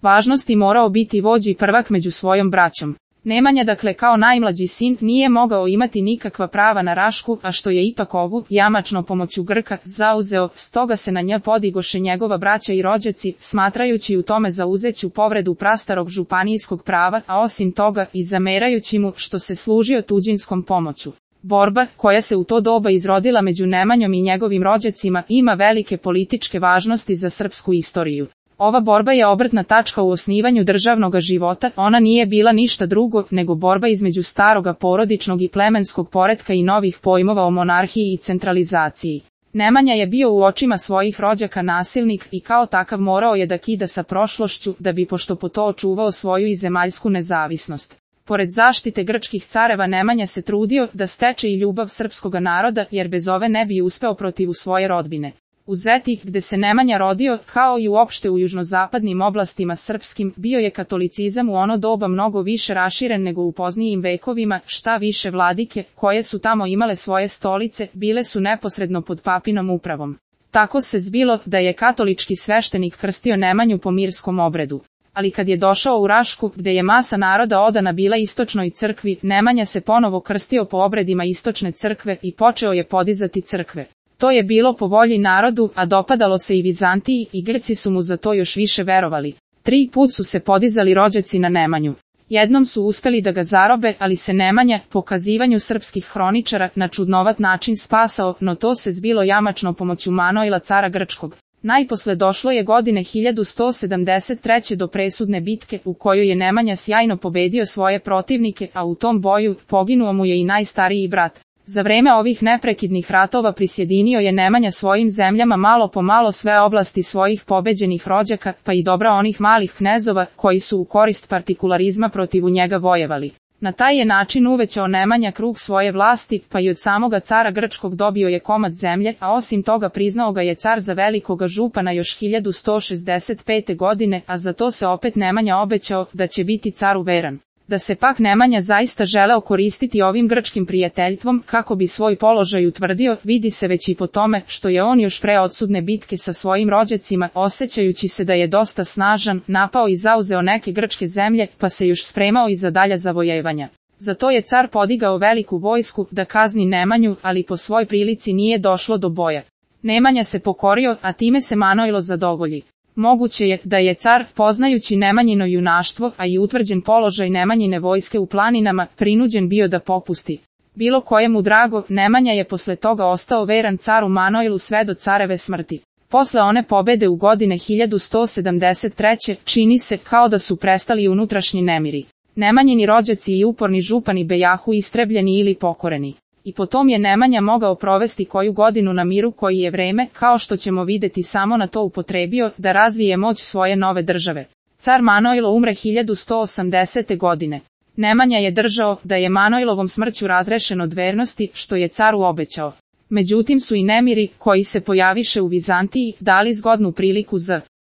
važnosti morao biti vođa i prvak među svojom braćom. Nemanja dakle kao najmlađi sin nije mogao imati nikakva prava na Rašku, a što je ipak ovu, jamačno pomoću Grka, zauzeo, stoga se na nj podigoše njegova braća i rođaci, smatrajući u tome zauzeću povredu prastarog županijskog prava, a osim toga i zamerajući mu što se služio tuđinskom pomoću. Borba, koja se u to doba izrodila među Nemanjom i njegovim rođacima, ima velike političke važnosti za srpsku istoriju. Ova borba je obrtna tačka u osnivanju državnog života, ona nije bila ništa drugo nego borba između staroga porodičnog i plemenskog poretka i novih pojmova o monarhiji i centralizaciji. Nemanja je bio u očima svojih rođaka nasilnik i kao takav morao je da kida sa prošlošću da bi pošto po to očuvao svoju i zemaljsku nezavisnost. Pored zaštite grčkih careva Nemanja se trudio da steče i ljubav srpskoga naroda jer bez ove ne bi uspeo protiv svoje rodbine. U Zeti, gde se Nemanja rodio, kao i uopšte u južnozapadnim oblastima srpskim, bio je katolicizam u ono doba mnogo više raširen nego u poznijim vekovima, šta više vladike, koje su tamo imale svoje stolice, bile su neposredno pod papinom upravom. Tako se zbilo da je katolički sveštenik krstio Nemanju po mirskom obredu. Ali kad je došao u Rašku, gde je masa naroda odana bila istočnoj crkvi, Nemanja se ponovo krstio po obredima istočne crkve i počeo je podizati crkve. To je bilo po volji narodu, a dopadalo se i Vizantiji i Grci su mu za to još više verovali. 3 put su se podizali rođaci na Nemanju. Jednom su uspeli da ga zarobe, ali se Nemanja, po kazivanju srpskih hroničara, na čudnovat način spasao, no to se zbilo jamačno pomoću Manojla cara Grčkog. Najposle došlo je godine 1173. do presudne bitke u kojoj je Nemanja sjajno pobedio svoje protivnike, a u tom boju poginuo mu je i najstariji brat. Za vreme ovih neprekidnih ratova prisjedinio je Nemanja svojim zemljama malo po malo sve oblasti svojih pobeđenih rođaka, pa i dobra onih malih knezova, koji su u korist partikularizma protiv njega vojevali. Na taj je način uvećao Nemanja krug svoje vlasti, pa i od samoga cara Grčkog dobio je komad zemlje, a osim toga priznao ga je car za velikoga župana još 1165. godine, a za to se opet Nemanja obećao da će biti caru veran. Da se pak Nemanja zaista želeo koristiti ovim grčkim prijateljstvom kako bi svoj položaj utvrdio, vidi se već i po tome što je on još pre odsudne bitke sa svojim rođacima, osjećajući se da je dosta snažan, napao i zauzeo neke grčke zemlje, pa se još spremao i za dalja zavojevanja. Zato je car podigao veliku vojsku da kazni Nemanju, ali po svoj prilici nije došlo do boja. Nemanja se pokorio, a time se Manojlo zadovolji. Moguće je da je car, poznajući Nemanjino junaštvo, a i utvrđen položaj Nemanjine vojske u planinama, prinuđen bio da popusti. Bilo kojemu drago, Nemanja je posle toga ostao veran caru Manojlu sve do careve smrti. Posle one pobede u godine 1173. čini se kao da su prestali unutrašnji nemiri. Nemanjini rođaci i uporni župani bejahu istrebljeni ili pokoreni. I potom je Nemanja mogao provesti koju godinu na miru koji je vreme, kao što ćemo videti samo na to upotrebio, da razvije moć svoje nove države. Car Manojlo umre 1180. godine. Nemanja je držao da je Manojlovom smrću razrešen od vernosti, što je caru obećao. Međutim su i nemiri, koji se pojaviše u Vizantiji, dali zgodnu priliku za